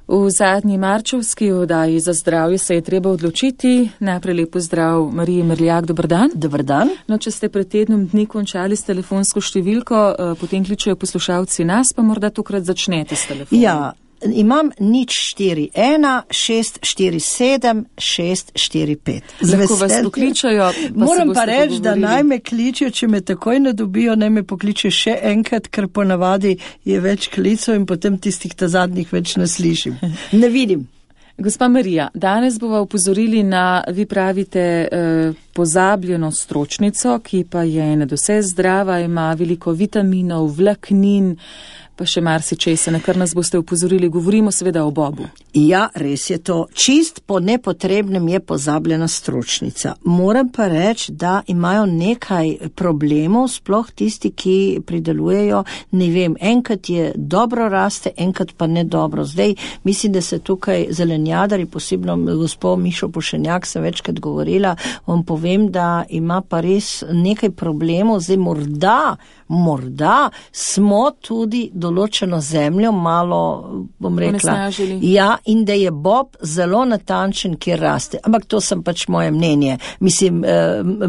V zadnji marčevski oddaji za zdravje se je treba odločiti. Najprej lep pozdrav Mariji Merljak, dober dan. Dober dan. No, če ste pred tednom dni končali s telefonsko številko, potem kličejo poslušalci nas, pa morda tokrat začnete s telefonom. Ja, imam 041 647 645. Lahko vas pokličajo. Moram pa reči, da naj me kličijo, če me takoj ne dobijo, naj me pokličijo še enkrat, ker ponavadi je več klicov in potem tistih ta zadnjih več ne slišim. Ne vidim. Gospa Marija, danes bova upozorili na, vi pravite, pozabljeno stročnico, ki pa je nadvse zdrava, ima veliko vitaminov, vlaknin, pa še marsičesa, na kar nas boste upozorili. Govorimo seveda o bobu. Ja, res je to. Čist po nepotrebnem je pozabljena stročnica. Moram pa reči, da imajo nekaj problemov, sploh tisti, ki pridelujejo, ne vem, enkrat je dobro raste, enkrat pa ne dobro. Zdaj, mislim, da se tukaj zelenjadari, posebno gospod Mišo Pušenjak, sem večkrat govorila, vam povem, da ima pa res nekaj problemov. Zdaj, morda smo tudi določeno zemljo malo, bom rekla, ja, in da je bob zelo natančen, kjer raste. Ampak to sem pač moje mnenje, mislim,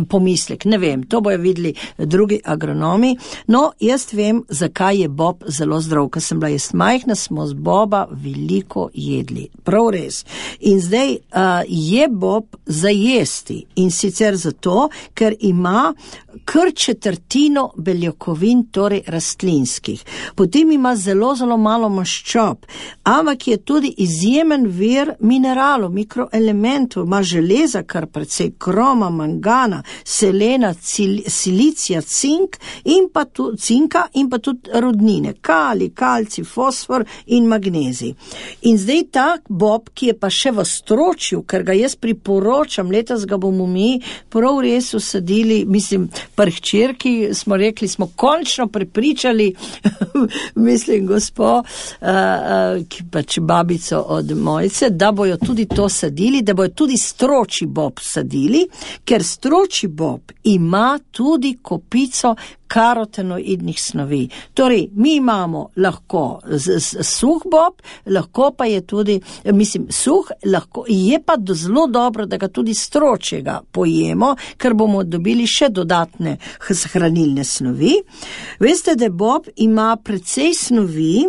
pomislek, ne vem, to bojo videli drugi agronomi. No, jaz vem, zakaj je bob zelo zdrav. Ko sem bila jaz majhna, smo z boba veliko jedli. Prav res. In zdaj je bob za jesti. In sicer zato, ker ima kar četrtino beljakovin, torej rastlinskih. Potem ima zelo, zelo malo maščob, ampak je tudi izjemen vir mineralov, mikroelementov, ima železa, kar precej kroma, mangana, selena, silicija, cinka in pa tudi rodnine, kali, kalci, fosfor in magnezij. In zdaj tak bob, ki je pa še v stročju, ker ga jaz priporočam, letos ga bomo mi prav res usadili, mislim, pri hčerki smo rekli, smo končno prepričali, mislim, gospo, ki pač babico od Mojce, da bojo tudi to sadili, da bojo tudi stročji bob sadili, ker stročji bob ima tudi kopico karotenoidnih snovi. Torej, mi imamo lahko suh bob, lahko pa je tudi, mislim, suh, lahko, je pa zelo dobro, da ga tudi stročjega pojemo, ker bomo dobili še dodatne hranilne snovi. Veste, da bob ima precej snovi,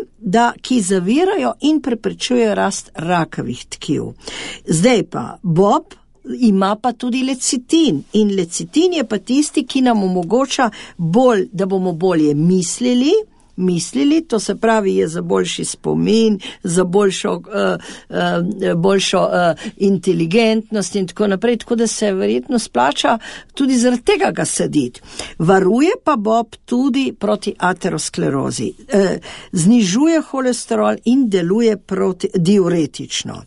ki zavirajo in preprečujejo rast rakavih tkiv. Zdaj pa, bob ima pa tudi lecitin in lecitin je pa tisti, ki nam omogoča da bomo bolje mislili, to se pravi je za boljši spomin, za boljšo inteligentnost in tako naprej, tako da se verjetno splača tudi zaradi tega ga saditi. Varuje pa bob tudi proti aterosklerozi, znižuje holesterol in deluje diuretično.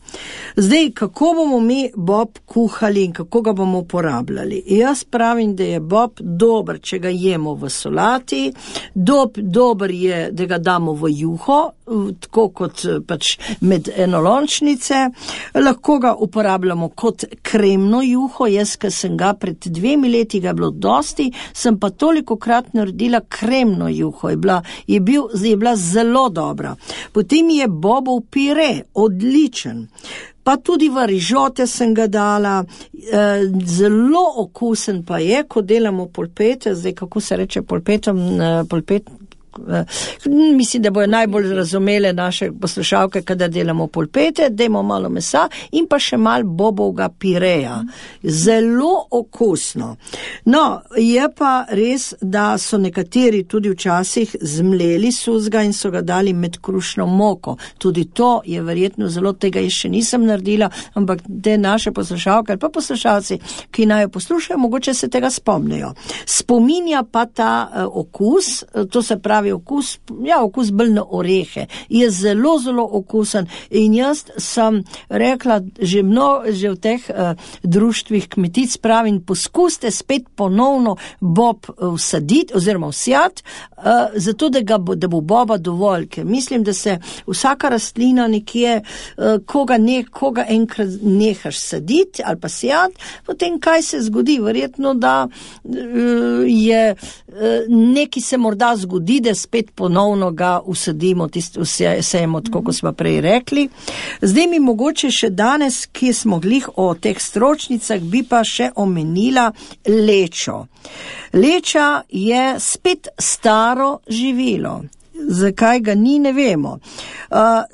Zdaj, kako bomo mi bob kuhali in kako ga bomo uporabljali? Jaz pravim, da je bob dober, če ga jemo v solati, dober je, da ga damo v juho, tako kot pač med enolončnice. Lahko ga uporabljamo kot kremno juho. Jaz, ker sem ga pred 2 leti ga bilo dosti, sem pa tolikokrat naredila kremno juho. Je bila zelo dobra. Potem je bobov pire, odličen. Pa tudi v rižote sem ga dala, zelo okusen pa je, ko delamo polpete, zdaj kako se reče polpet, mislim, da bojo najbolj razumele naše poslušalke, kada delamo polpete, dajmo malo mesa in pa še malo bobovega pireja. Zelo okusno. No, je pa res, da so nekateri tudi včasih zmleli suzga in so ga dali med krušno moko. Tudi to je verjetno zelo, tega jaz še nisem naredila, ampak te naše poslušalke ali pa poslušalci, ki naj jo poslušajo, mogoče se tega spomnijo. Spominja pa ta okus, to se pravi okus bolj na orehe, je zelo, zelo okusen in jaz sem rekla že v teh društvih kmetic pravim, poskuste spet ponovno bob vsaditi oziroma vsijati, zato da bo boba dovolj, ker mislim, da se vsaka rastlina nekje, koga enkrat nehaš saditi ali pa sijati, potem kaj se zgodi? Verjetno, da je neki se morda zgodi, da spet ponovno ga usadimo, sejemo, tako kot smo prej rekli. Zdaj mi mogoče še danes, ki smo glih o teh stročnicah, bi pa še omenila lečo. Leča je spet staro živilo. Zakaj ga ni, ne vemo.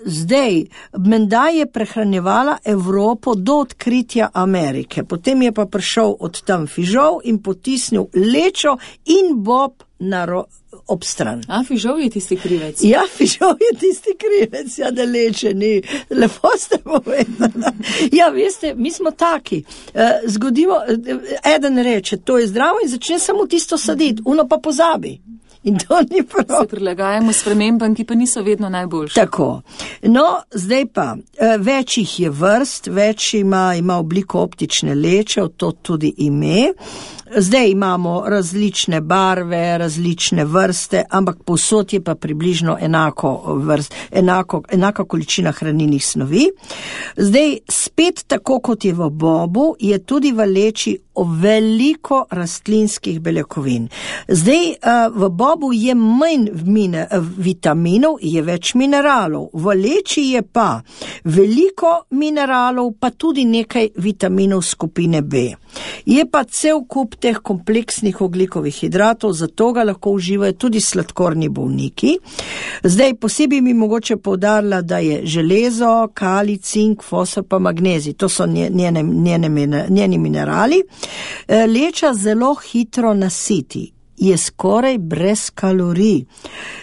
Zdaj, menda je prehranjevala Evropo do odkritja Amerike. Potem je pa prišel od tam fižol in potisnil lečo in bob ob stran. Fižol je tisti krivec? Ja, fižol je tisti krivec, ja, da leče ni. Lepo ste povedali. Ja, veste, mi smo taki. Zgodimo, eden reče, to je zdravo in začne samo tisto saditi, uno pa pozabi. In to ni prav. Se prilagajamo spremembam, ki pa niso vedno najboljše. Tako. No, zdaj pa, več jih je vrst, več ima obliko optične leče, to tudi ime. Zdaj imamo različne barve, različne vrste, ampak povsod je pa približno enaka količina hranilnih snovi. Zdaj, spet tako kot je v bobu, je tudi v leči veliko rastlinskih beljakovin. Zdaj, v bobu je manj vitaminov, je več mineralov. V leči je pa veliko mineralov, pa tudi nekaj vitaminov skupine B. Je pa cel kup teh kompleksnih ogljikovih hidratov, zato ga lahko uživajo tudi sladkorni bolniki. Zdaj, posebej mi mogoče poudarila, da je železo, kalij, cink, fosfor pa magnezij. To so njeni minerali. Leča zelo hitro nasiti. Je skoraj brez kalorij.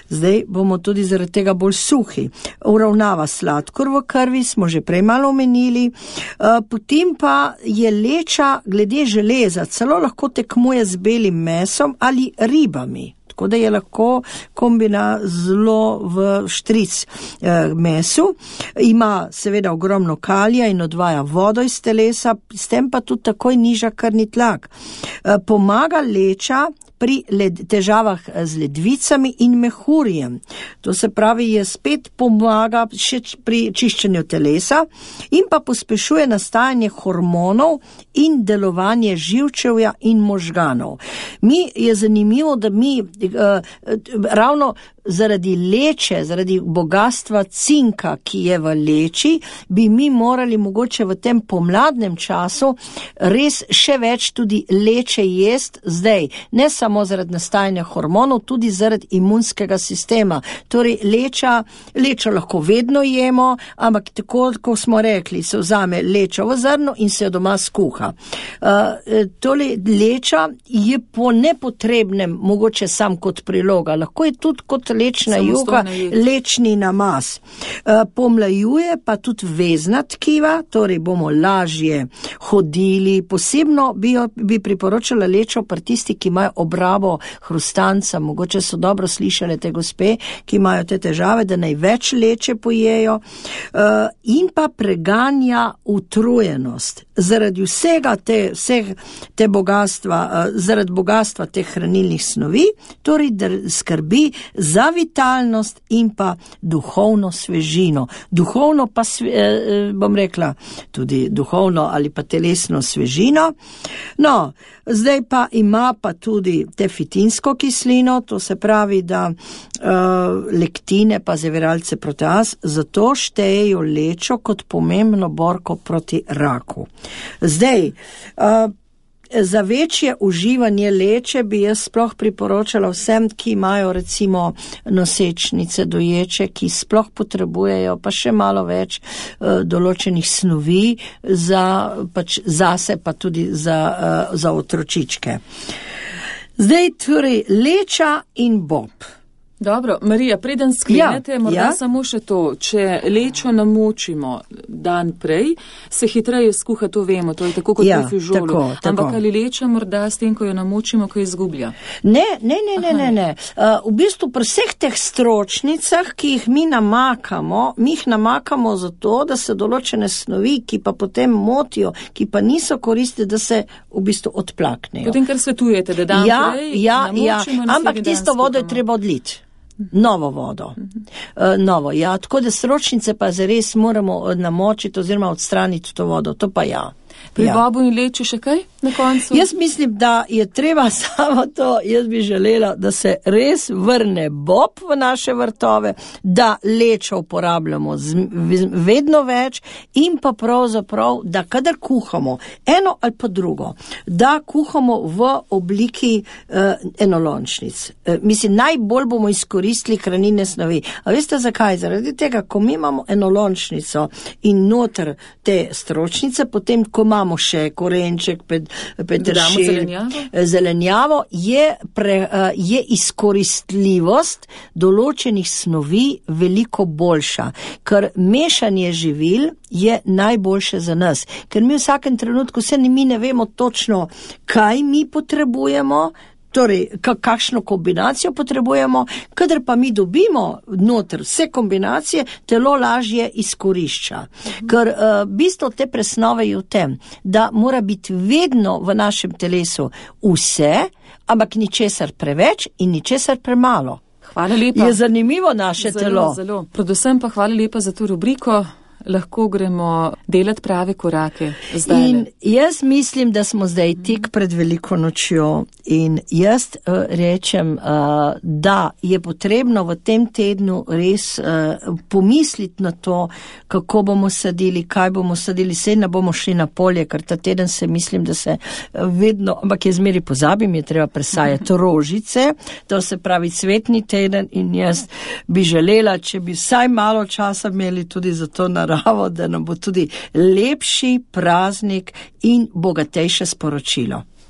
Zdaj bomo tudi zaradi tega bolj suhi. Uravnava sladkor v krvi, smo že prej malo omenili. Potem pa je leča glede železa, celo lahko tekmuje z belim mesom ali ribami. Tako da je lahko kombina zelo v štric mesu. Ima seveda ogromno kalija in odvaja vodo iz telesa, s tem pa tudi takoj niža krvni tlak. Pomaga leča pri težavah z ledvicami in mehurjem. To se pravi, je spet pomaga še pri čiščenju telesa in pa pospešuje nastajanje hormonov in delovanje živčevja in možganov. Je zanimivo, da mi ravno zaradi leče, zaradi bogatstva cinka, ki je v leči, bi mi morali mogoče v tem pomladnem času res še več tudi leče jest zdaj. Ne samo zaradi nastajanja hormonov, tudi zaradi imunskega sistema. Torej, lečo lahko vedno jemo, ampak tako, kot smo rekli, se vzame lečo v zrno in se jo doma skuha. Torej, leča je po nepotrebnem mogoče sam kot priloga. Lahko je tudi kot lečna juha, lečni namaz. Pomlajuje pa tudi vezna tkiva, torej bomo lažje hodili. Posebno bi priporočala lečo pri tisti, ki imajo obrabo hrustanca. Mogoče so dobro slišale te gospe, ki imajo te težave, da največ leče pojejo. In pa preganja utrujenost. Zaradi vsega te bogatstva, zaradi bogatstva teh hranilnih snovi, torej skrbi za vitalnost in pa duhovno svežino. Duhovno pa, bom rekla, tudi duhovno ali pa telesno svežino. No, zdaj pa ima pa tudi tefitinsko kislino, to se pravi, da lektine pa zaviralce proteaz, zato štejejo lečo kot pomembno borko proti raku. Zdaj, za večje uživanje leče bi jaz sploh priporočala vsem, ki imajo recimo nosečnice, doječe, ki sploh potrebujejo pa še malo več določenih snovi zase pa tudi za otročičke. Zdaj torej leča in bob. Dobro, Marija, preden sklenete, morda samo še to, če lečo namočimo dan prej, se hitreje skuha, to vemo, to je tako kot pri fižolu. Ampak ali leča morda s tem, ko jo namočimo, ko izgublja? Ne. V bistvu pri vseh teh stročnicah, ki jih mi jih namakamo zato, da se določene snovi, ki pa potem motijo, ki pa niso koristne, da se v bistvu odplaknejo. Potem, kar svetujete, da dan prej namočimo, ampak tisto vodo je treba odliti. Novo vodo. Novo, ja. Tako da stročnice pa zares moramo namočiti oziroma odstraniti to vodo. To pa ja. Pri bobu in leču še kaj na koncu? Jaz mislim, da je treba samo to, jaz bi želela, da se res vrne bob v naše vrtove, da lečo uporabljamo vedno več in pa pravzaprav, da kadar kuhamo eno ali pa drugo, da kuhamo v obliki enolončnic. Mislim, najbolj bomo izkoristili hranilne snovi. A veste zakaj? Zaradi tega, ko mi imamo enolončnico in noter te stročnice, potem, ko imamo še korenček, peteršilj, zelenjavo, je izkoristljivost določenih snovi veliko boljša, ker mešanje živil je najboljše za nas, ker mi v vsakem trenutku mi ne vemo točno, kaj mi potrebujemo, torej, kakšno kombinacijo potrebujemo, kadar pa mi dobimo noter vse kombinacije, telo lažje izkorišča. Ker bistvo te presnove je v tem, da mora biti vedno v našem telesu vse, ampak ničesar preveč in ničesar premalo. Hvala lepa. Je zanimivo naše telo. Zelo. Predvsem pa hvala lepa za to rubriko. Lahko gremo delati prave korake zdaj. In jaz mislim, da smo zdaj tik pred veliko nočjo in jaz rečem, da je potrebno v tem tednu res pomisliti na to, kako bomo sadili, kaj bomo sadili, saj ne bomo šli na polje, ker ta teden se mislim, da se vedno, ampak je zmeri pozabim, je treba presajati rožice, to se pravi cvetni teden in jaz bi želela, če bi vsaj malo časa imeli tudi za to naravo, da nam bo tudi lepši praznik in bogatejše sporočilo.